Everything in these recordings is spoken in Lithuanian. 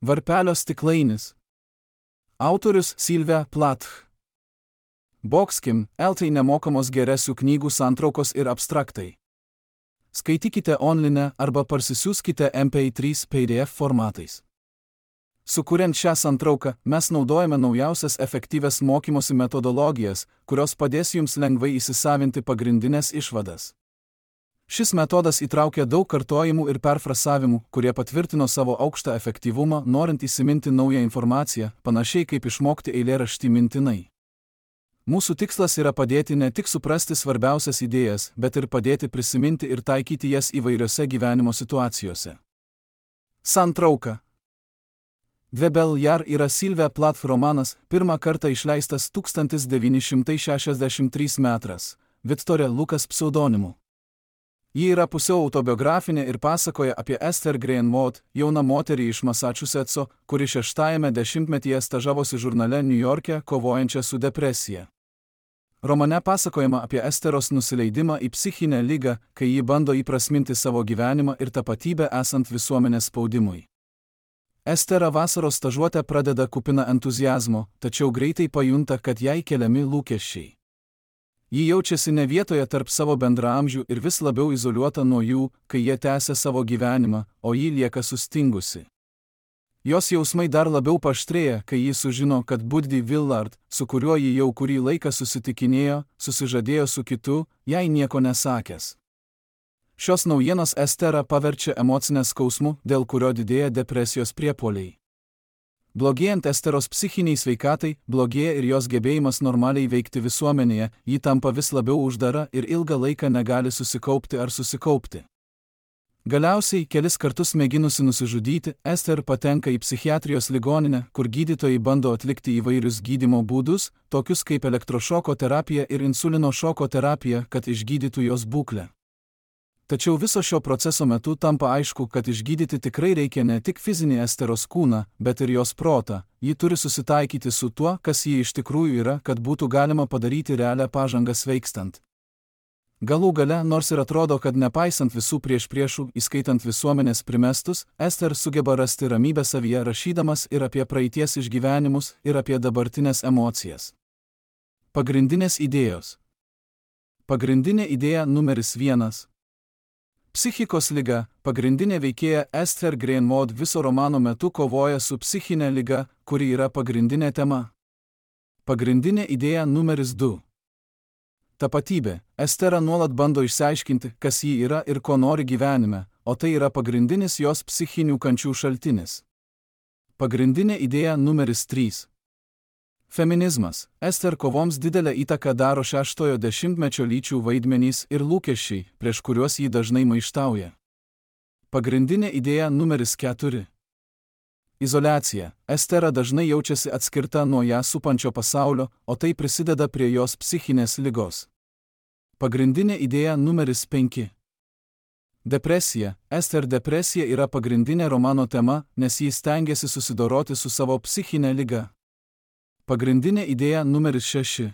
Varpelio stiklainis. Autorius Sylvia Plath. Boxkim, LT nemokamos geresių knygų santraukos ir abstraktai. Skaitykite online arba parsisiųskite MP3 PDF formatais. Sukuriant šią santrauką, mes naudojame naujausias efektyvias mokymosi metodologijas, kurios padės jums lengvai įsisavinti pagrindinės išvadas. Šis metodas įtraukia daug kartojimų ir perfrasavimų, kurie patvirtino savo aukštą efektyvumą, norint įsiminti naują informaciją, panašiai kaip išmokti eilėraštį mintinai. Mūsų tikslas yra padėti ne tik suprasti svarbiausias idėjas, bet ir padėti prisiminti ir taikyti jas įvairiose gyvenimo situacijose. Santrauka. Dvebel jar yra Sylvia Plath romanas, pirmą kartą išleistas 1963 metais, Victoria Lucas pseudonimu. Ji yra pusiau autobiografinė ir pasakoja apie Esther Green Maud, jauną moterį iš Massachusettso, kuri 6-ajame dešimtmetyje stažavosi žurnale New York'e, kovojančią su depresija. Romane pasakojama apie Esteros nusileidimą į psichinę ligą, kai ji bando įprasminti savo gyvenimą ir tapatybę esant visuomenės spaudimui. Estera vasaros stažuotę pradeda kupina entuziazmo, tačiau greitai pajunta, kad jai keliami lūkesčiai. Ji jaučiasi ne vietoje tarp savo bendraamžių ir vis labiau izoliuota nuo jų, kai jie tęsia savo gyvenimą, o ji lieka sustingusi. Jos jausmai dar labiau paaštrėja, kai ji sužino, kad Buddy Willard, su kuriuo ji jau kurį laiką susitikinėjo, susižadėjo su kitu, jai nieko nesakęs. Šios naujienos Esterą paverčia emocinę skausmu, dėl kurio didėja depresijos priepuoliai. Blogėjant Esteros psichiniai sveikatai, blogėja ir jos gebėjimas normaliai veikti visuomenėje, ji tampa vis labiau uždara ir ilgą laiką negali susikaupti ar susikaupti. Galiausiai, kelis kartus mėginusi nusižudyti, Ester patenka į psichiatrijos ligoninę, kur gydytojai bando atlikti įvairius gydymo būdus, tokius kaip elektrošoko terapija ir insulino šoko terapija, kad išgydytų jos būklę. Tačiau viso šio proceso metu tampa aišku, kad išgydyti tikrai reikia ne tik fizinį Esteros kūną, bet ir jos protą. Ji turi susitaikyti su tuo, kas ji iš tikrųjų yra, kad būtų galima padaryti realią pažangą sveikstant. Galų gale, nors ir atrodo, kad nepaisant visų priešpriešų, įskaitant visuomenės primestus, Ester sugeba rasti ramybę savyje rašydamas ir apie praeities išgyvenimus, ir apie dabartinės emocijas. Pagrindinės idėjos. Pagrindinė idėja numeris 1. Psichikos liga. Pagrindinė veikėja Esther Green Maud viso romano metu kovoja su psichinė liga, kuri yra pagrindinė tema. Pagrindinė idėja numeris 2. Tapatybė. Estera nuolat bando išsiaiškinti, kas ji yra ir ko nori gyvenime, o tai yra pagrindinis jos psichinių kančių šaltinis. Pagrindinė idėja numeris 3. Feminizmas. Ester kovoms didelę įtaką daro 6-ojo dešimtmečio lyčių vaidmenys ir lūkesčiai, prieš kuriuos ji dažnai maištauja. Pagrindinė idėja numeris 4. Izoliacija. Estera dažnai jaučiasi atskirta nuo ją supančio pasaulio, o tai prisideda prie jos psichinės ligos. Pagrindinė idėja numeris 5. Depresija. Ester depresija yra pagrindinė romano tema, nes ji stengiasi susidoroti su savo psichinė liga. Pagrindinė idėja numeris 6.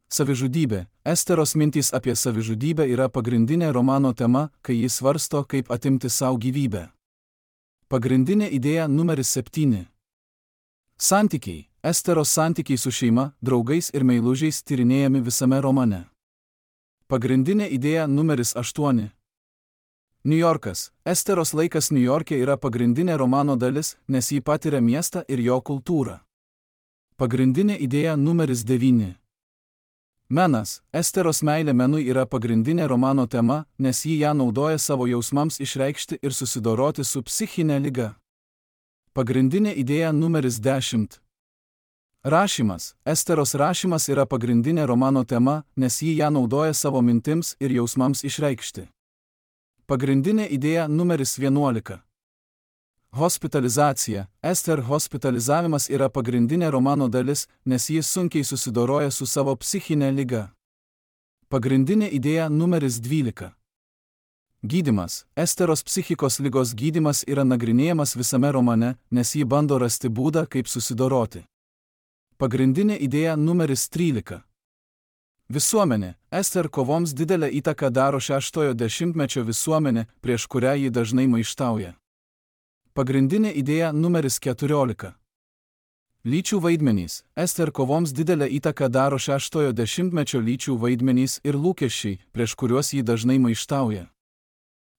Savižudybė. Esteros mintys apie savižudybę yra pagrindinė romano tema, kai jis svarsto, kaip atimti savo gyvybę. Pagrindinė idėja numeris 7. Santykiai. Esteros santykiai su šeima, draugais ir meilužiais tyrinėjami visame romane. Pagrindinė idėja numeris 8. New Yorkas. Esteros laikas New York'e yra pagrindinė romano dalis, nes ji patiria miestą ir jo kultūrą. Pagrindinė idėja numeris 9. Menas. Esteros meilė menui yra pagrindinė romano tema, nes ji ją naudoja savo jausmams išreikšti ir susidoroti su psichinė liga. Pagrindinė idėja numeris 10. Rašymas. Esteros rašymas yra pagrindinė romano tema, nes ji ją naudoja savo mintims ir jausmams išreikšti. Pagrindinė idėja numeris 11. Hospitalizacija. Ester hospitalizavimas yra pagrindinė romano dalis, nes jis sunkiai susidoroja su savo psichinė liga. Pagrindinė idėja numeris 12. Gydymas. Esteros psichikos ligos gydymas yra nagrinėjamas visame romane, nes ji bando rasti būdą, kaip susidoroti. Pagrindinė idėja numeris 13. Visuomenė. Ester kovoms didelę įtaką daro 6-ojo dešimtmečio visuomenė, prieš kurią ji dažnai maištauja. Pagrindinė idėja numeris 14. Lyčių vaidmenys. Ester kovoms didelę įtaką daro 6-ojo dešimtmečio lyčių vaidmenys ir lūkesčiai, prieš kuriuos jį dažnai maištauja.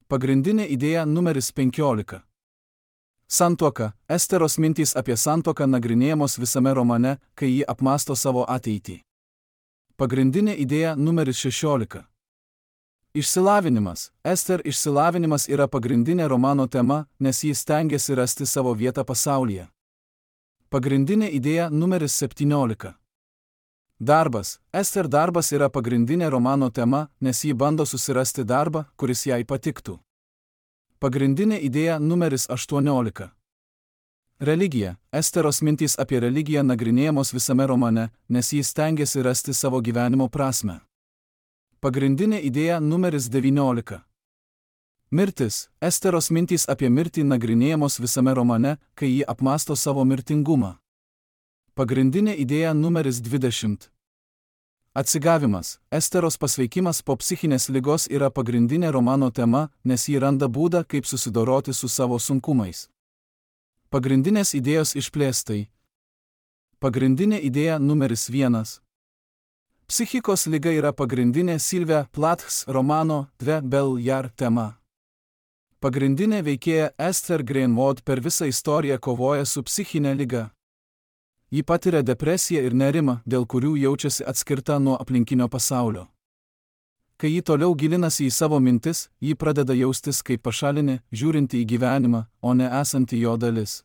Pagrindinė idėja numeris 15. Santuoka. Esteros mintys apie santuoką nagrinėjamos visame romane, kai ji apmąsto savo ateitį. Pagrindinė idėja numeris 16. Išsilavinimas. Ester išsilavinimas yra pagrindinė romano tema, nes jis stengiasi rasti savo vietą pasaulyje. Pagrindinė idėja numeris 17. Darbas. Ester darbas yra pagrindinė romano tema, nes ji bando susirasti darbą, kuris jai patiktų. Pagrindinė idėja numeris 18. Religija. Esteros mintys apie religiją nagrinėjamos visame romane, nes ji stengiasi rasti savo gyvenimo prasmę. Pagrindinė idėja numeris 19. Mirtis. Esteros mintys apie mirtį nagrinėjamos visame romane, kai ji apmąsto savo mirtingumą. Pagrindinė idėja numeris 20. Atsigavimas. Esteros pasveikimas po psichinės ligos yra pagrindinė romano tema, nes ji randa būdą, kaip susidoroti su savo sunkumais. Pagrindinės idėjos išplėstai. Pagrindinė idėja numeris 1. Psichikos liga yra pagrindinė Sylvia Plaths romano Dve Belle Jar tema. Pagrindinė veikėja Esther Greenwood per visą istoriją kovoja su psichinė liga. Ji patiria depresiją ir nerimą, dėl kurių jaučiasi atskirta nuo aplinkinio pasaulio. Kai ji toliau gilinasi į savo mintis, ji pradeda jaustis kaip pašalinė, žiūrinti į gyvenimą, o ne esanti jo dalis.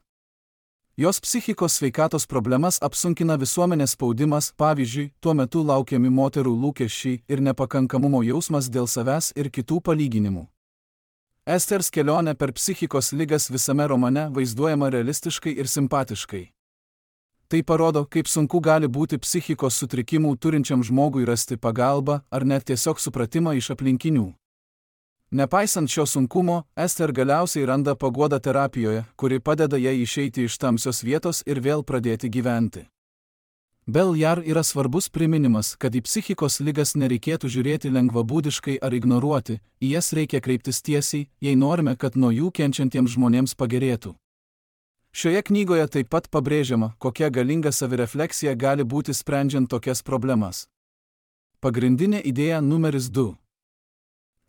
Jos psichikos sveikatos problemas apsunkina visuomenės spaudimas, pavyzdžiui, tuo metu laukiami moterų lūkesčiai ir nepakankamumo jausmas dėl savęs ir kitų palyginimų. Esters kelionė per psichikos ligas visame romane vaizduojama realistiškai ir simpatiškai. Tai parodo, kaip sunku gali būti psichikos sutrikimų turinčiam žmogui rasti pagalbą ar net tiesiog supratimą iš aplinkinių. Nepaisant šio sunkumo, Ester galiausiai randa paguodą terapijoje, kuri padeda jai išeiti iš tamsios vietos ir vėl pradėti gyventi. Belle Jar yra svarbus priminimas, kad į psichikos ligas nereikėtų žiūrėti lengvabūdiškai ar ignoruoti, į jas reikia kreiptis tiesiai, jei norime, kad nuo jų kenčiantiems žmonėms pagerėtų. Šioje knygoje taip pat pabrėžiama, kokia galinga savirefleksija gali būti sprendžiant tokias problemas. Pagrindinė idėja numeris 2.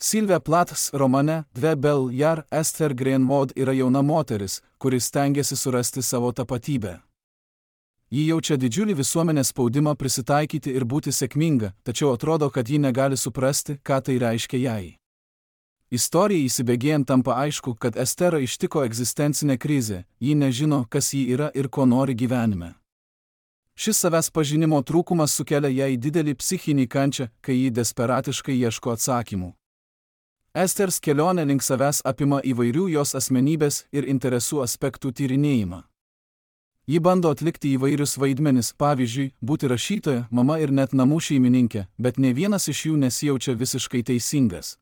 Sylvia Plaths romane Dve Belle Jar Esther Greenwood yra jauna moteris, kuri stengiasi surasti savo tapatybę. Ji jaučia didžiulį visuomenės spaudimą prisitaikyti ir būti sėkminga, tačiau atrodo, kad ji negali suprasti, ką tai reiškia jai. Istorijai įsibėgėjant tampa aišku, kad Esterą ištiko egzistencinė krizė, ji nežino, kas ji yra ir ko nori gyvenime. Šis savęs pažinimo trūkumas sukelia jai didelį psichinį kančią, kai ji desperatiškai ieško atsakymų. Esters kelionė link savęs apima įvairių jos asmenybės ir interesų aspektų tyrinėjimą. Ji bando atlikti įvairius vaidmenis, pavyzdžiui, būti rašytoja, mama ir net namų šeimininkė, bet ne vienas iš jų nesijaučia visiškai teisingas.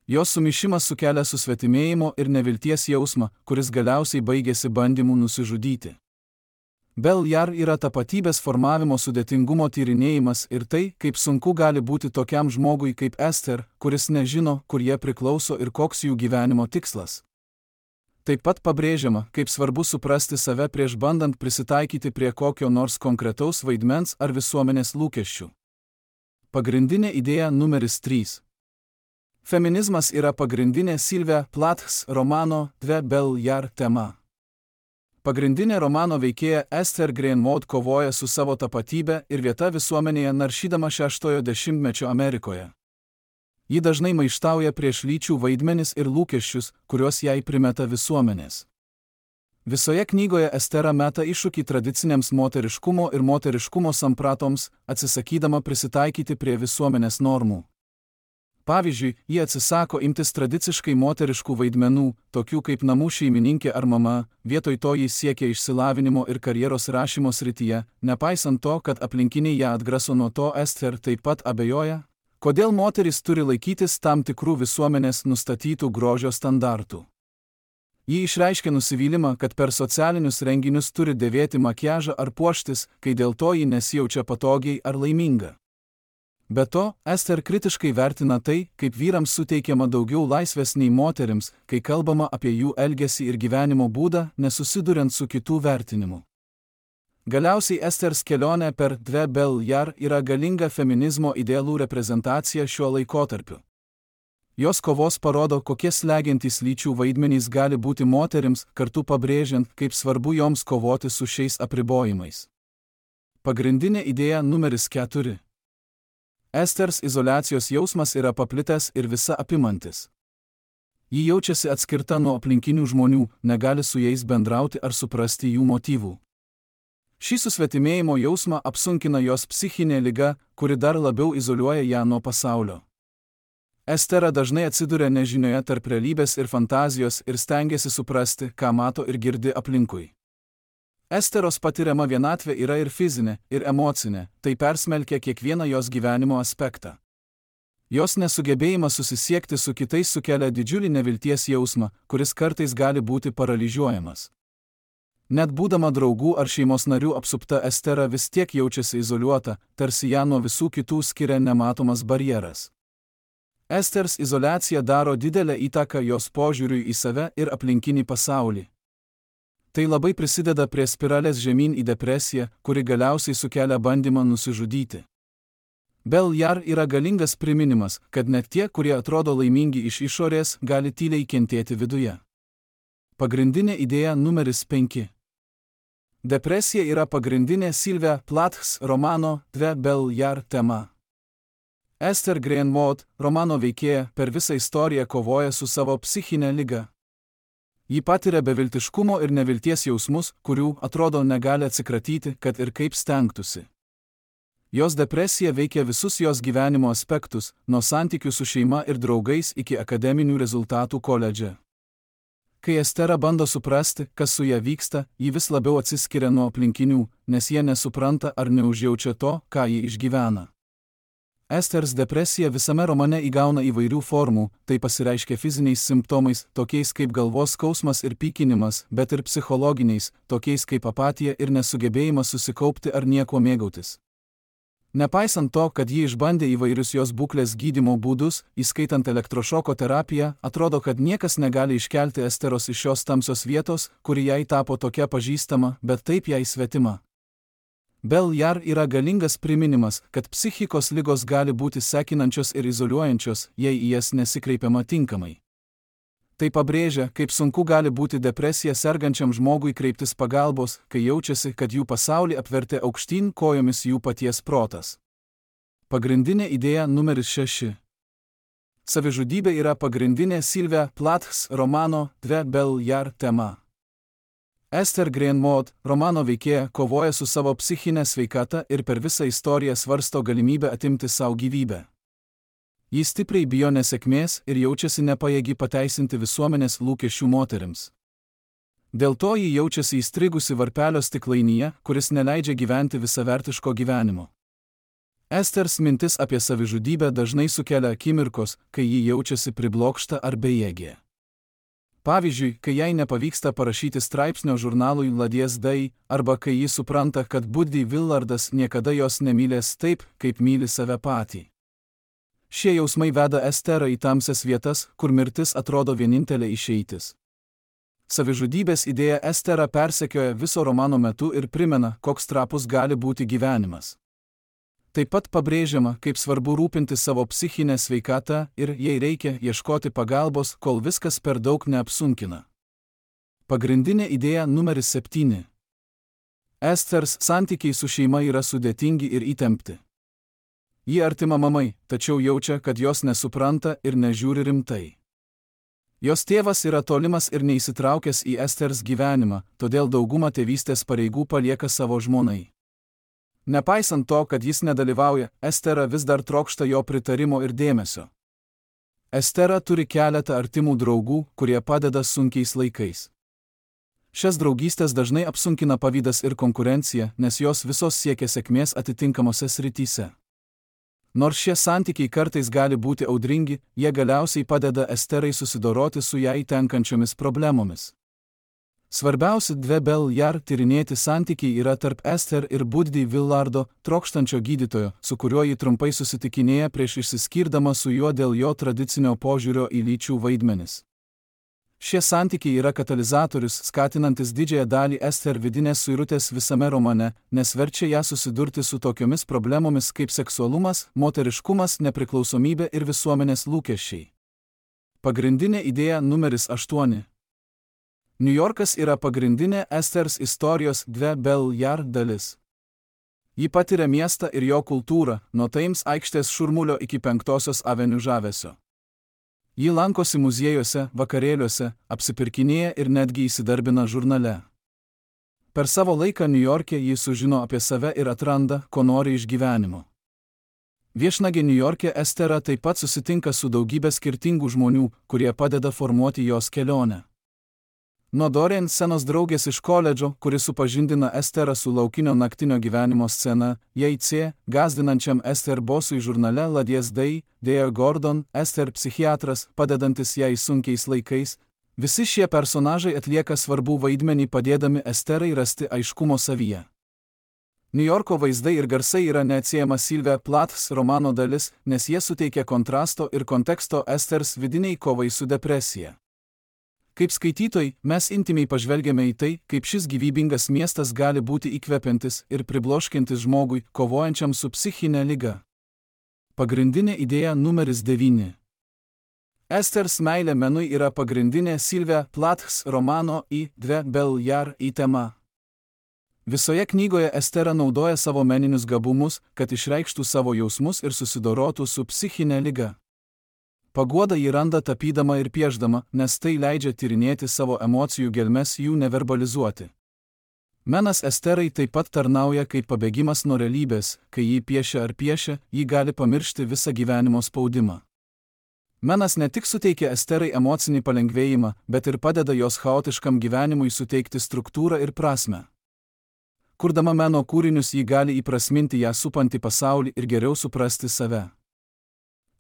Jos sumišimas sukelia susvetimėjimo ir nevilties jausmą, kuris galiausiai baigėsi bandymu nusižudyti. Belle Jar yra tapatybės formavimo sudėtingumo tyrinėjimas ir tai, kaip sunku gali būti tokiam žmogui kaip Ester, kuris nežino, kur jie priklauso ir koks jų gyvenimo tikslas. Taip pat pabrėžiama, kaip svarbu suprasti save prieš bandant prisitaikyti prie kokio nors konkretaus vaidmens ar visuomenės lūkesčių. Pagrindinė idėja numeris 3. Feminizmas yra pagrindinė Sylvia Plaths romano Dve Belle Jar tema. Pagrindinė romano veikėja Esther Greenwood kovoja su savo tapatybė ir vieta visuomenėje naršydama 6-ojo dešimtmečio Amerikoje. Ji dažnai maištauja prieš lyčių vaidmenis ir lūkesčius, kuriuos jai primeta visuomenės. Visoje knygoje Estera meta iššūkį tradiciniams moteriškumo ir moteriškumo sampratoms, atsisakydama prisitaikyti prie visuomenės normų. Pavyzdžiui, ji atsisako imtis tradiciškai moteriškų vaidmenų, tokių kaip namų šeimininkė ar mama, vietoj to ji siekia išsilavinimo ir karjeros rašymo srityje, nepaisant to, kad aplinkiniai ją atgraso nuo to. Ester taip pat abejoja, kodėl moteris turi laikytis tam tikrų visuomenės nustatytų grožio standartų. Ji išreiškia nusivylimą, kad per socialinius renginius turi dėvėti makiažą ar puoštis, kai dėl to ji nesijaučia patogiai ar laiminga. Be to, Ester kritiškai vertina tai, kaip vyrams suteikiama daugiau laisvės nei moterims, kai kalbama apie jų elgesį ir gyvenimo būdą, nesusiduriant su kitų vertinimu. Galiausiai Esters kelionė per Dve Beljar yra galinga feminizmo idealų reprezentacija šiuo laikotarpiu. Jos kovos parodo, kokie slegiantys lyčių vaidmenys gali būti moterims, kartu pabrėžiant, kaip svarbu joms kovoti su šiais apribojimais. Pagrindinė idėja numeris 4. Esters izoliacijos jausmas yra paplitęs ir visa apimantis. Ji jaučiasi atskirta nuo aplinkinių žmonių, negali su jais bendrauti ar suprasti jų motyvų. Šį susvetimėjimo jausmą apsunkina jos psichinė liga, kuri dar labiau izoliuoja ją nuo pasaulio. Estera dažnai atsiduria nežinioje tarp realybės ir fantazijos ir stengiasi suprasti, ką mato ir girdi aplinkui. Esteros patiriama vienatvė yra ir fizinė, ir emocinė, tai persmelkia kiekvieną jos gyvenimo aspektą. Jos nesugebėjimas susisiekti su kitais sukelia didžiulį nevilties jausmą, kuris kartais gali būti paralyžiuojamas. Net būdama draugų ar šeimos narių apsupta, Estera vis tiek jaučiasi izoliuota, tarsi ją nuo visų kitų skiria nematomas barjeras. Esters izoliacija daro didelę įtaką jos požiūriui į save ir aplinkinį pasaulį. Tai labai prisideda prie spiralės žemyn į depresiją, kuri galiausiai sukelia bandymą nusižudyti. Beljar yra galingas priminimas, kad net tie, kurie atrodo laimingi iš išorės, gali tyliai kentėti viduje. Pagrindinė idėja numeris 5. Depresija yra pagrindinė Sylvia Plaths romano Dve Beljar tema. Ester Green Maud, romano veikėja, per visą istoriją kovoja su savo psichinė liga. Ji patiria beviltiškumo ir nevilties jausmus, kurių, atrodo, negali atsikratyti, kad ir kaip stengtųsi. Jos depresija veikia visus jos gyvenimo aspektus, nuo santykių su šeima ir draugais iki akademinių rezultatų koledže. Kai Estera bando suprasti, kas su ja vyksta, ji vis labiau atsiskiria nuo aplinkinių, nes jie nesupranta ar neužjaučia to, ką ji išgyvena. Esters depresija visame romane įgauna įvairių formų, tai pasireiškia fiziniais simptomais, tokiais kaip galvos skausmas ir pykinimas, bet ir psichologiniais, tokiais kaip apatija ir nesugebėjimas susikaupti ar nieko mėgautis. Nepaisant to, kad ji išbandė įvairius jos būklės gydymo būdus, įskaitant elektrošoko terapiją, atrodo, kad niekas negali iškelti Esteros iš šios tamsios vietos, kuri jai tapo tokia pažįstama, bet taip jai svetima. Beljar yra galingas priminimas, kad psichikos ligos gali būti sekinančios ir izoliuojančios, jei į jas nesikreipiama tinkamai. Tai pabrėžia, kaip sunku gali būti depresija sergančiam žmogui kreiptis pagalbos, kai jaučiasi, kad jų pasaulį apvertė aukštyn kojomis jų paties protas. Pagrindinė idėja numeris 6. Savižudybė yra pagrindinė Sylvia Plaths romano Dve Beljar tema. Ester Green Maud, romano veikėja, kovoja su savo psichinė sveikata ir per visą istoriją svarsto galimybę atimti savo gyvybę. Ji stipriai bijo nesėkmės ir jaučiasi nepajėgi pateisinti visuomenės lūkesčių moterims. Dėl to ji jaučiasi įstrigusi varpelio stiklainyje, kuris neleidžia gyventi visavertiško gyvenimo. Esters mintis apie savižudybę dažnai sukelia akimirkos, kai ji jaučiasi priblokšta ar bejėgė. Pavyzdžiui, kai jai nepavyksta parašyti straipsnio žurnalui Ladies Day, arba kai ji supranta, kad Buddy Willardas niekada jos nemylės taip, kaip myli save patį. Šie jausmai veda Esterą į tamsias vietas, kur mirtis atrodo vienintelė išeitis. Savižudybės idėja Esterą persekioja viso romano metu ir primena, koks trapus gali būti gyvenimas. Taip pat pabrėžiama, kaip svarbu rūpinti savo psichinę sveikatą ir, jei reikia, ieškoti pagalbos, kol viskas per daug neapsunkina. Pagrindinė idėja numeris 7. Esters santykiai su šeima yra sudėtingi ir įtempti. Ji artima mamai, tačiau jaučia, kad jos nesupranta ir nežiūri rimtai. Jos tėvas yra tolimas ir neįsitraukęs į Esters gyvenimą, todėl daugumą tėvystės pareigų palieka savo žmonai. Nepaisant to, kad jis nedalyvauja, Estera vis dar trokšta jo pritarimo ir dėmesio. Estera turi keletą artimų draugų, kurie padeda sunkiais laikais. Šias draugystės dažnai apsunkina pavydas ir konkurencija, nes jos visos siekia sėkmės atitinkamose srityse. Nors šie santykiai kartais gali būti audringi, jie galiausiai padeda Esterai susidoroti su jai tenkančiomis problemomis. Svarbiausi dve Beljar tyrinėti santykiai yra tarp Ester ir Buddy Villardo, trokštančio gydytojo, su kuriuo ji trumpai susitikinėja prieš išsiskirdama su juo dėl jo tradicinio požiūrio į lyčių vaidmenis. Šie santykiai yra katalizatorius, skatinantis didžiąją dalį Ester vidinės suirutės visame romane, nes verčia ją susidurti su tokiomis problemomis kaip seksualumas, moteriškumas, nepriklausomybė ir visuomenės lūkesčiai. Pagrindinė idėja numeris 8. Niujorkas yra pagrindinė Esters istorijos dve Beljar dalis. Ji patiria miestą ir jo kultūrą, nuo Thames aikštės šurmulio iki 5 aveniu žavesio. Ji lankosi muziejuose, vakarėliuose, apsipirkinėja ir netgi įsidarbina žurnale. Per savo laiką Niujorke ji sužino apie save ir atranda, ko nori iš gyvenimo. Viešnagė Niujorke Estera taip pat susitinka su daugybė skirtingų žmonių, kurie padeda formuoti jos kelionę. Nuo Doreen senos draugės iš koledžo, kuris supažindina Esterą su laukinio naktinio gyvenimo scena, J.C., gąsdinančiam Ester bosui žurnale Ladies Day, Dea Gordon, Ester psichiatras, padedantis jai sunkiais laikais, visi šie personažai atlieka svarbų vaidmenį padėdami Esterai rasti aiškumo savyje. Niujorko vaizdai ir garsai yra neatsiejama Sylvia Plaths romano dalis, nes jie suteikia kontrasto ir konteksto Esters vidiniai kovai su depresija. Kaip skaitytojai, mes intymiai pažvelgiame į tai, kaip šis gyvybingas miestas gali būti įkvepiantis ir pribloškiantis žmogui, kovojančiam su psichinė liga. Pagrindinė idėja numeris 9. Esters meilė menui yra pagrindinė Sylvia Plaths romano į dve Beljar tema. Visoje knygoje Estera naudoja savo meninius gabumus, kad išreikštų savo jausmus ir susidorotų su psichinė liga. Paguodą ji randa tapydama ir piešdama, nes tai leidžia tyrinėti savo emocijų gelmes jų neverbalizuoti. Menas Esterai taip pat tarnauja kaip pabėgimas nuo realybės, kai jį piešia ar piešia, ji gali pamiršti visą gyvenimo spaudimą. Menas ne tik suteikia Esterai emocinį palengvėjimą, bet ir padeda jos chaotiškam gyvenimui suteikti struktūrą ir prasmę. Kurdama meno kūrinius ji gali įprasminti ją supantį pasaulį ir geriau suprasti save.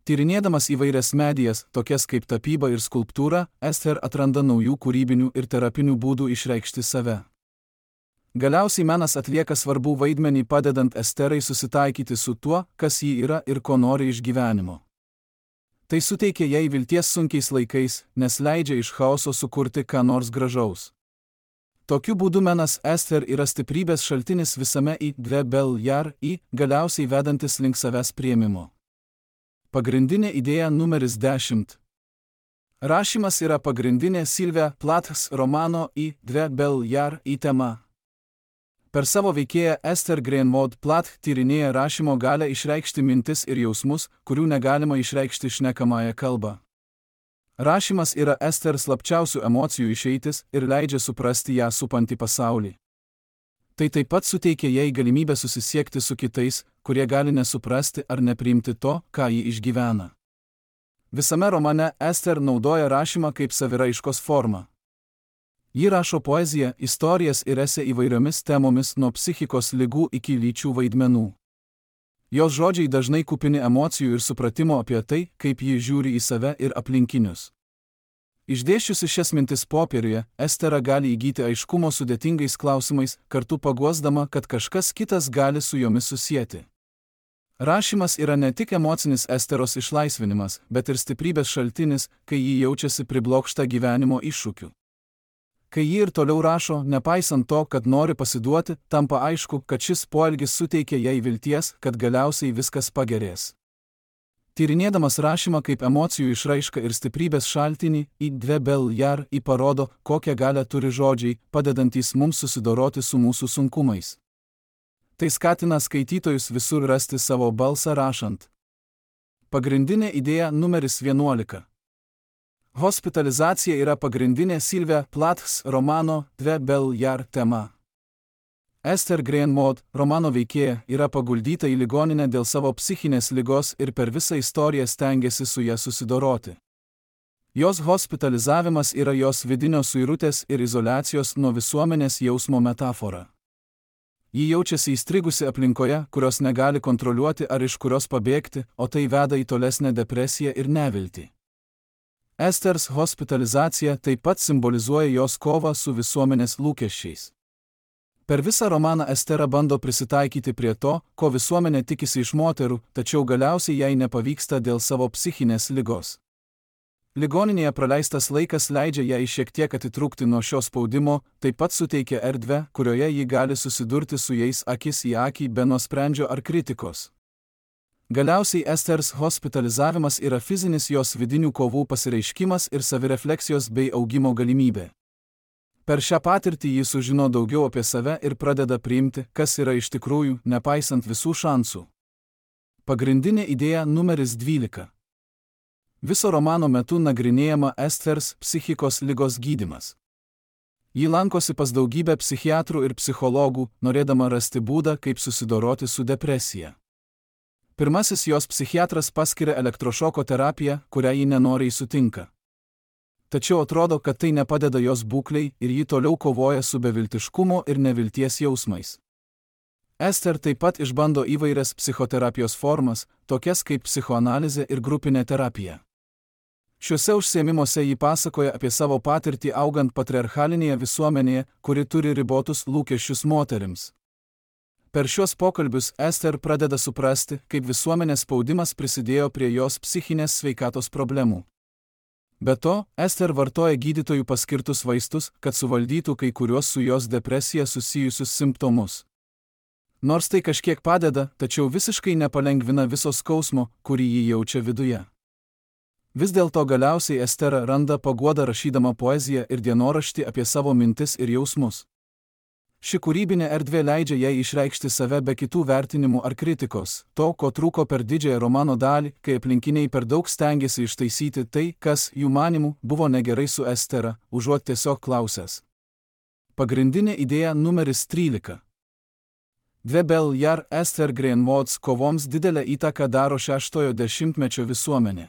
Tyrinėdamas įvairias medijas, tokias kaip tapyba ir skulptūra, Ester atranda naujų kūrybinių ir terapinių būdų išreikšti save. Galiausiai menas atlieka svarbų vaidmenį padedant Esterai susitaikyti su tuo, kas ji yra ir ko nori iš gyvenimo. Tai suteikia jai vilties sunkiais laikais, nes leidžia iš chaoso sukurti ką nors gražaus. Tokiu būdu menas Ester yra stiprybės šaltinis visame į dve Beljar, galiausiai vedantis link savęs priėmimo. Pagrindinė idėja numeris 10. Rašymas yra pagrindinė Sylvia Plaths romano į dve Beljar tema. Per savo veikėją Esther Greenwood Plath tyrinėja rašymo galę išreikšti mintis ir jausmus, kurių negalima išreikšti šnekamąją kalbą. Rašymas yra Ester slapčiausių emocijų išeitis ir leidžia suprasti ją supantį pasaulį. Tai taip pat suteikia jai galimybę susisiekti su kitais, kurie gali nesuprasti ar nepriimti to, ką ji išgyvena. Visame romane Ester naudoja rašymą kaip saviraiškos formą. Ji rašo poeziją, istorijas ir esė įvairiomis temomis nuo psichikos ligų iki lyčių vaidmenų. Jos žodžiai dažnai kupini emocijų ir supratimo apie tai, kaip ji žiūri į save ir aplinkinius. Išdėsčiusi šias mintis popieriuje, Estera gali įgyti aiškumo sudėtingais klausimais, kartu paguosdama, kad kažkas kitas gali su jomis susieti. Rašymas yra ne tik emocinis Esteros išlaisvinimas, bet ir stiprybės šaltinis, kai ji jaučiasi priblokšta gyvenimo iššūkių. Kai ji ir toliau rašo, nepaisant to, kad nori pasiduoti, tampa aišku, kad šis poelgis suteikia jai vilties, kad galiausiai viskas pagerės. Tyrinėdamas rašymą kaip emocijų išraišką ir stiprybės šaltinį, į dve Beljar parodo, kokią galią turi žodžiai, padedantys mums susidoroti su mūsų sunkumais. Tai skatina skaitytojus visur rasti savo balsą rašant. Pagrindinė idėja numeris 11. Hospitalizacija yra pagrindinė Sylvia Plaths romano dve Beljar tema. Ester Greenwood, romano veikėja, yra paguldyta į ligoninę dėl savo psichinės ligos ir per visą istoriją stengiasi su ja susidoroti. Jos hospitalizavimas yra jos vidinio suirutės ir izoliacijos nuo visuomenės jausmo metafora. Ji jaučiasi įstrigusi aplinkoje, kurios negali kontroliuoti ar iš kurios pabėgti, o tai veda į tolesnę depresiją ir neviltį. Esters hospitalizacija taip pat simbolizuoja jos kovą su visuomenės lūkesčiais. Per visą romaną Estera bando prisitaikyti prie to, ko visuomenė tikisi iš moterų, tačiau galiausiai jai nepavyksta dėl savo psichinės ligos. Ligoninėje praleistas laikas leidžia jai šiek tiek atitrūkti nuo šio spaudimo, taip pat suteikia erdvę, kurioje ji gali susidurti su jais akis į akį be nuosprendžio ar kritikos. Galiausiai Esters hospitalizavimas yra fizinis jos vidinių kovų pasireiškimas ir savirefleksijos bei augimo galimybė. Per šią patirtį ji sužino daugiau apie save ir pradeda priimti, kas yra iš tikrųjų, nepaisant visų šansų. Pagrindinė idėja numeris 12. Viso romano metu nagrinėjama Esters psichikos ligos gydymas. Ji lankosi pas daugybę psichiatrų ir psichologų, norėdama rasti būdą, kaip susidoroti su depresija. Pirmasis jos psichiatras paskiria elektrošoko terapiją, kurią ji nenoriai sutinka. Tačiau atrodo, kad tai nepadeda jos būklei ir ji toliau kovoja su beviltiškumo ir nevilties jausmais. Ester taip pat išbando įvairias psichoterapijos formas, tokias kaip psichoanalizė ir grupinė terapija. Šiuose užsiėmimuose ji pasakoja apie savo patirtį augant patriarchalinėje visuomenėje, kuri turi ribotus lūkesčius moterims. Per šiuos pokalbius Ester pradeda suprasti, kaip visuomenės spaudimas prisidėjo prie jos psichinės sveikatos problemų. Be to, Ester vartoja gydytojų paskirtus vaistus, kad suvaldytų kai kuriuos su jos depresija susijusius simptomus. Nors tai kažkiek padeda, tačiau visiškai nepalengvina viso skausmo, kurį ji jaučia viduje. Vis dėlto galiausiai Estera randa paguodą rašydama poeziją ir dienoraštį apie savo mintis ir jausmus. Ši kūrybinė erdvė leidžia jai išreikšti save be kitų vertinimų ar kritikos, to, ko trūko per didžiąją romano dalį, kai aplinkiniai per daug stengiasi ištaisyti tai, kas, jų manimų, buvo negerai su Estera, užuot tiesiog klausęs. Pagrindinė idėja numeris 13. Dve Jar Ester Greenwoods kovoms didelę įtaką daro 6-ojo dešimtmečio visuomenė.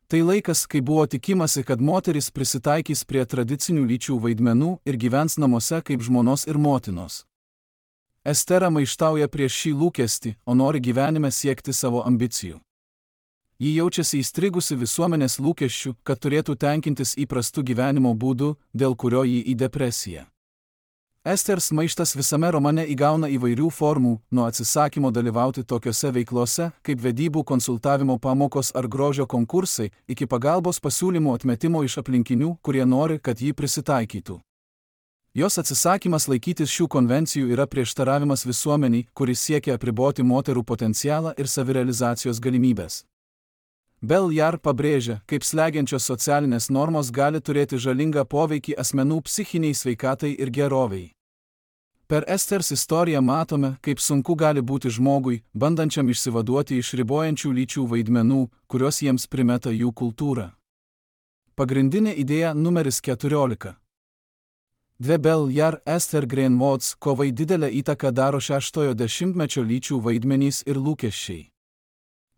Tai laikas, kai buvo tikimasi, kad moteris prisitaikys prie tradicinių lyčių vaidmenų ir gyvens namuose kaip žmonos ir motinos. Estera maištauja prieš šį lūkestį, o nori gyvenime siekti savo ambicijų. Ji jaučiasi įstrigusi visuomenės lūkesčių, kad turėtų tenkintis įprastų gyvenimo būdų, dėl kurio ji į depresiją. Esters maištas visame romane įgauna įvairių formų, nuo atsisakymo dalyvauti tokiose veiklose, kaip vedybų konsultavimo pamokos ar grožio konkursai, iki pagalbos pasiūlymų atmetimo iš aplinkinių, kurie nori, kad ji prisitaikytų. Jos atsisakymas laikytis šių konvencijų yra prieštaravimas visuomeniai, kuris siekia apriboti moterų potencialą ir savirealizacijos galimybės. Jar pabrėžia, kaip slegiančios socialinės normos gali turėti žalingą poveikį asmenų psichiniai sveikatai ir gerovei. Per Esters istoriją matome, kaip sunku gali būti žmogui, bandančiam išsivaduoti iš ribojančių lyčių vaidmenų, kurios jiems primeta jų kultūra. Pagrindinė idėja numeris 14. Dve Jar Ester Greenwoods kovai didelę įtaką daro 6-ojo dešimtmečio lyčių vaidmenys ir lūkesčiai.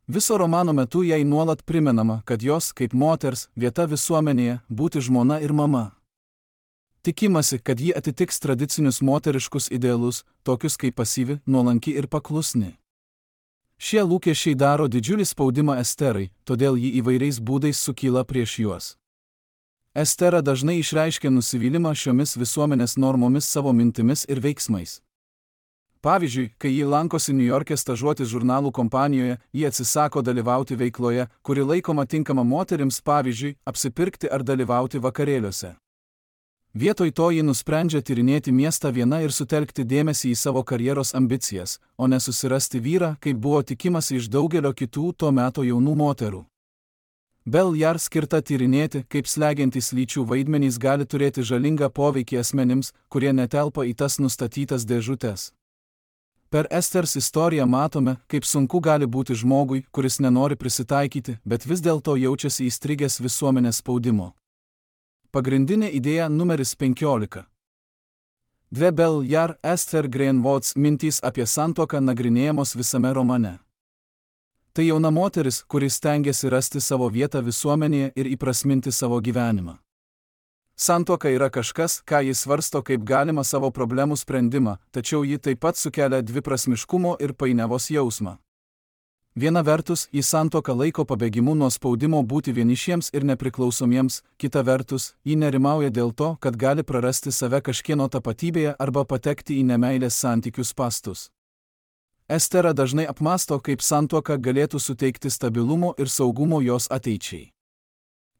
Viso romano metu jai nuolat primenama, kad jos, kaip moters, vieta visuomenėje - būti žmona ir mama. Tikimasi, kad ji atitiks tradicinius moteriškus idealus, tokius kaip pasyvi, nuolanki ir paklusni. Šie lūkesčiai daro didžiulį spaudimą Esterai, todėl ji įvairiais būdais sukyla prieš juos. Estera dažnai išreiškia nusivylimą šiomis visuomenės normomis savo mintimis ir veiksmais. Pavyzdžiui, kai ji lankosi Niujorke stažuotis žurnalų kompanijoje, ji atsisako dalyvauti veikloje, kuri laikoma tinkama moterims, pavyzdžiui, apsipirkti ar dalyvauti vakarėliuose. Vietoj to ji nusprendžia tyrinėti miestą viena ir sutelkti dėmesį į savo karjeros ambicijas, o ne susirasti vyrą, kaip buvo tikimasi iš daugelio kitų to meto jaunų moterų. Jar skirta tyrinėti, kaip slegiantys lyčių vaidmenys gali turėti žalingą poveikį asmenims, kurie netelpa į tas nustatytas dėžutes. Per Esters istoriją matome, kaip sunku gali būti žmogui, kuris nenori prisitaikyti, bet vis dėlto jaučiasi įstrigęs visuomenės spaudimo. Pagrindinė idėja numeris 15. Dve Jar Ester Greenwoods mintys apie santuoką nagrinėjamos visame romane. Tai jauna moteris, kuris stengiasi rasti savo vietą visuomenėje ir įprasminti savo gyvenimą. Santuoka yra kažkas, ką jis svarsto kaip galima savo problemų sprendimą, tačiau ji taip pat sukelia dviprasmiškumo ir painiavos jausmą. Viena vertus, jį santuoką laiko pabėgimu nuo spaudimo būti vienišiems ir nepriklausomiems, kita vertus, jį nerimauja dėl to, kad gali prarasti save kažkieno tapatybėje arba patekti į nemeilės santykių spastus. Estera dažnai apmąsto, kaip santuoka galėtų suteikti stabilumo ir saugumo jos ateičiai.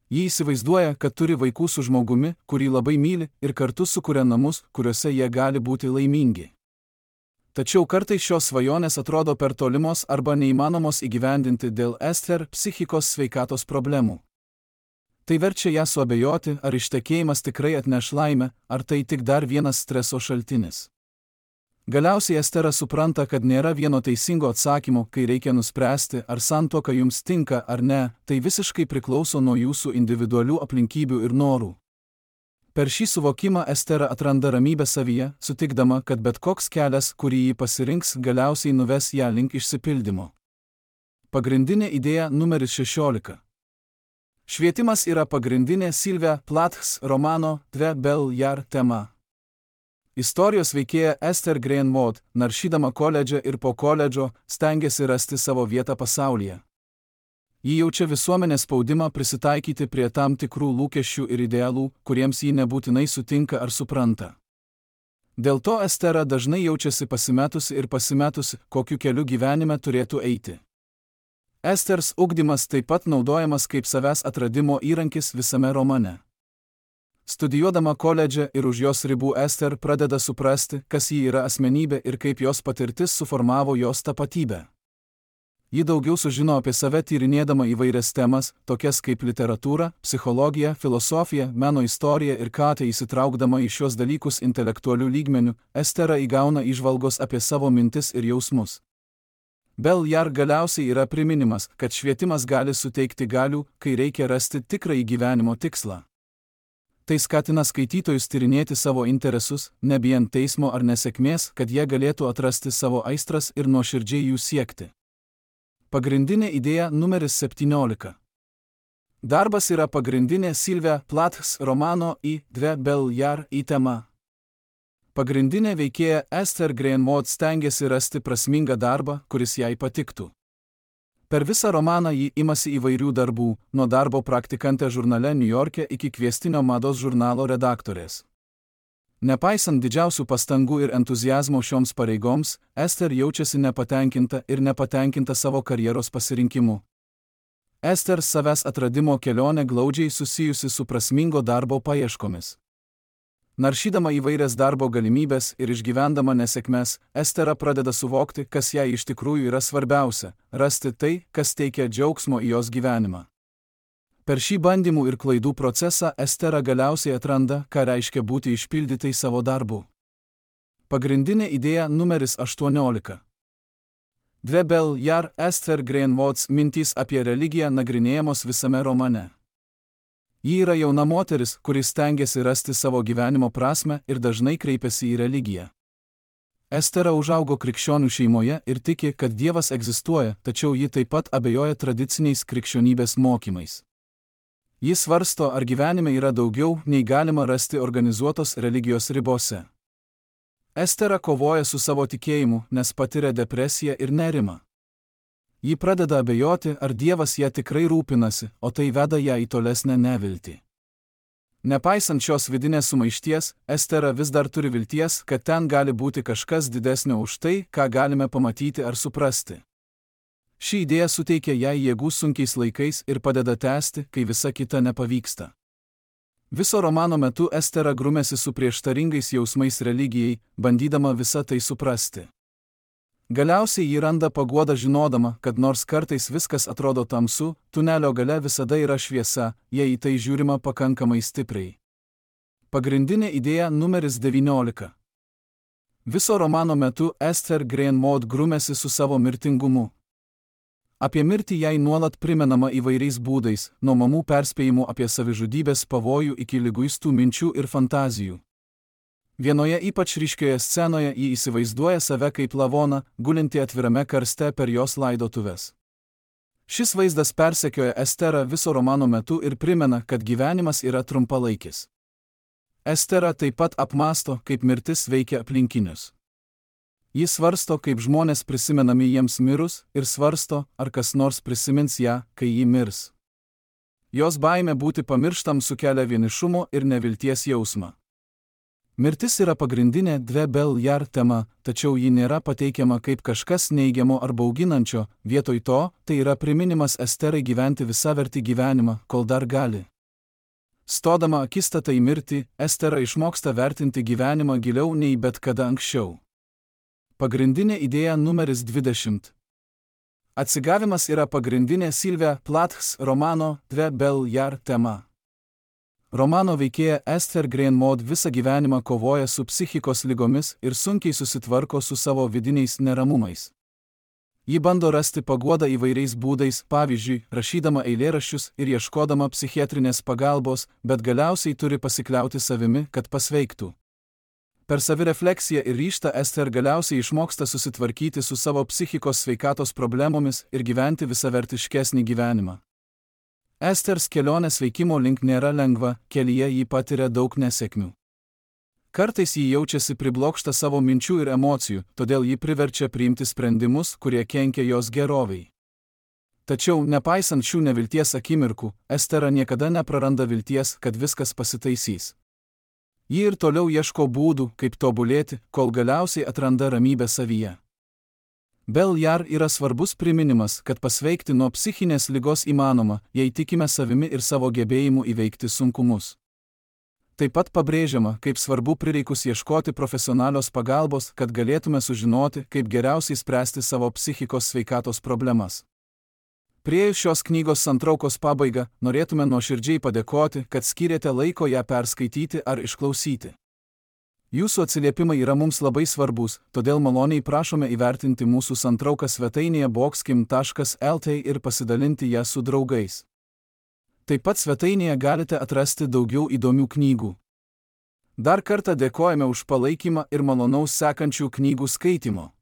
Ji įsivaizduoja, kad turi vaikų su žmogumi, kurį labai myli, ir kartu sukuria namus, kuriuose jie gali būti laimingi. Tačiau kartais šios svajonės atrodo per tolimos arba neįmanomos įgyvendinti dėl Ester psichikos sveikatos problemų. Tai verčia ją suabejoti, ar ištekėjimas tikrai atneš laimę, ar tai tik dar vienas streso šaltinis. Galiausiai Estera supranta, kad nėra vieno teisingo atsakymo, kai reikia nuspręsti, ar santuoka jums tinka ar ne, tai visiškai priklauso nuo jūsų individualių aplinkybių ir norų. Per šį suvokimą Estera atranda ramybę savyje, sutikdama, kad bet koks kelias, kurį ji pasirinks, galiausiai nuves ją link išsipildymo. Pagrindinė idėja numeris 16. Švietimas yra pagrindinė Sylvia Plaths romano Dve Belle Jar tema. Istorijos veikėja Esther Green Maud, naršydama koledže ir po koledžo, stengiasi rasti savo vietą pasaulyje. Ji jaučia visuomenės spaudimą prisitaikyti prie tam tikrų lūkesčių ir idealų, kuriems ji nebūtinai sutinka ar supranta. Dėl to Estera dažnai jaučiasi pasimetusi, kokiu keliu gyvenime turėtų eiti. Esters ugdymas taip pat naudojamas kaip savęs atradimo įrankis visame romane. Studijuodama koledže ir už jos ribų Ester pradeda suprasti, kas ji yra asmenybė ir kaip jos patirtis suformavo jos tapatybę. Ji daugiau sužino apie save tyrinėdama įvairias temas, tokias kaip literatūra, psichologija, filosofija, meno istorija ir ką įsitraukdama į šios dalykus intelektualių lygmenių, Estera įgauna įžvalgos apie savo mintis ir jausmus. Belle Jar galiausiai yra priminimas, kad švietimas gali suteikti galių, kai reikia rasti tikrąjį gyvenimo tikslą. Tai skatina skaitytojus tyrinėti savo interesus, nebijant teismo ar nesėkmės, kad jie galėtų atrasti savo aistras ir nuoširdžiai jų siekti. Pagrindinė idėja numeris 17. Darbas yra pagrindinė Sylvia Plaths romano Dve Belle Jar tema. Pagrindinė veikėja Esther Green Maud stengiasi rasti prasmingą darbą, kuris jai patiktų. Per visą romaną ji imasi įvairių darbų, nuo darbo praktikante žurnale New York'e iki kviestinio mados žurnalo redaktorės. Nepaisant didžiausių pastangų ir entuziazmo šioms pareigoms, Esther jaučiasi nepatenkinta savo karjeros pasirinkimu. Esther savęs atradimo kelionė glaudžiai susijusi su prasmingo darbo paieškomis. Naršydama įvairias darbo galimybės ir išgyvendama nesėkmes, Estera pradeda suvokti, kas jai iš tikrųjų yra svarbiausia – rasti tai, kas teikia džiaugsmo į jos gyvenimą. Per šį bandymų ir klaidų procesą Estera galiausiai atranda, ką reiškia būti išpildytai savo darbu. Pagrindinė idėja numeris 18. Dve Belle Jar Esther Green Maud's mintys apie religiją nagrinėjamos visame romane. Ji yra jauna moteris, kuris stengiasi rasti savo gyvenimo prasmę ir dažnai kreipiasi į religiją. Estera užaugo krikščionių šeimoje ir tiki, kad Dievas egzistuoja, tačiau ji taip pat abejoja tradiciniais krikščionybės mokymais. Jis svarsto, ar gyvenime yra daugiau, nei galima rasti organizuotos religijos ribose. Estera kovoja su savo tikėjimu, nes patiria depresiją ir nerimą. Ji pradeda abejoti, ar Dievas ją tikrai rūpinasi, o tai veda ją į tolesnę neviltį. Nepaisant šios vidinės sumaišties, Estera vis dar turi vilties, kad ten gali būti kažkas didesnio už tai, ką galime pamatyti ar suprasti. Ši idėja suteikia jai jėgų sunkiais laikais ir padeda tęsti, kai visa kita nepavyksta. Viso romano metu Estera grumėsi su prieštaringais jausmais religijai, bandydama visą tai suprasti. Galiausiai ji randa paguodą žinodama, kad nors kartais viskas atrodo tamsu, tunelio gale visada yra šviesa, jei į tai žiūrima pakankamai stipriai. Pagrindinė idėja numeris 19. Viso romano metu Esther Green Maud grumėsi su savo mirtingumu. Apie mirtį jai nuolat primenama įvairiais būdais, nuo mamų perspėjimų apie savižudybės pavojų iki liguistų minčių ir fantazijų. Vienoje ypač ryškioje scenoje ji įsivaizduoja save kaip lavoną, gulinti atvirame karste per jos laidotuves. Šis vaizdas persekioja Esterą viso romano metu ir primena, kad gyvenimas yra trumpalaikis. Estera taip pat apmąsto, kaip mirtis veikia aplinkinius. Jis svarsto, kaip žmonės prisimenami jiems mirus ir svarsto, ar kas nors prisimins ją, kai ji mirs. Jos baimė būti pamirštam sukelia vienišumo ir nevilties jausmą. Mirtis yra pagrindinė Dve Bel-Jar tema, tačiau ji nėra pateikiama kaip kažkas neigiamo ar bauginančio, vietoj to tai yra priminimas Esterai gyventi visavertį gyvenimą, kol dar gali. Stodama akistatą į mirtį, Estera išmoksta vertinti gyvenimą giliau nei bet kada anksčiau. Pagrindinė idėja numeris 20. Atsigavimas yra pagrindinė Silvia Plaths romano Dve Bel-Jar tema. Romano veikėja Esther Green Maud visą gyvenimą kovoja su psichikos ligomis ir sunkiai susitvarko su savo vidiniais neramumais. Ji bando rasti paguodą įvairiais būdais, pavyzdžiui, rašydama eilėraščius ir ieškodama psichiatrinės pagalbos, bet galiausiai turi pasikliauti savimi, kad pasveiktų. Per savirefleksiją ir ryžtą Esther galiausiai išmoksta susitvarkyti su savo psichikos sveikatos problemomis ir gyventi visavertiškesnį gyvenimą. Esters kelionės veikimo link nėra lengva, kelyje ji patiria daug nesėkmių. Kartais ji jaučiasi priblokšta savo minčių ir emocijų, todėl ji priverčia priimti sprendimus, kurie kenkia jos gerovei. Tačiau, nepaisant šių nevilties akimirkų, Estera niekada nepraranda vilties, kad viskas pasitaisys. Ji ir toliau ieško būdų, kaip tobulėti, kol galiausiai atranda ramybę savyje. Bel-Jar yra svarbus priminimas, kad pasveikti nuo psichinės ligos įmanoma, jei tikime savimi ir savo gebėjimu įveikti sunkumus. Taip pat pabrėžiama, kaip svarbu prireikus ieškoti profesionalios pagalbos, kad galėtume sužinoti, kaip geriausiai spręsti savo psichikos sveikatos problemas. Priėjus šios knygos santraukos pabaigą, norėtume nuoširdžiai padėkoti, kad skyrėte laiko ją perskaityti ar išklausyti. Jūsų atsiliepimai yra mums labai svarbus, todėl maloniai prašome įvertinti mūsų santrauką svetainėje boxkim.lt ir pasidalinti ją su draugais. Taip pat svetainėje galite atrasti daugiau įdomių knygų. Dar kartą dėkojame už palaikymą ir malonaus sekančių knygų skaitimo.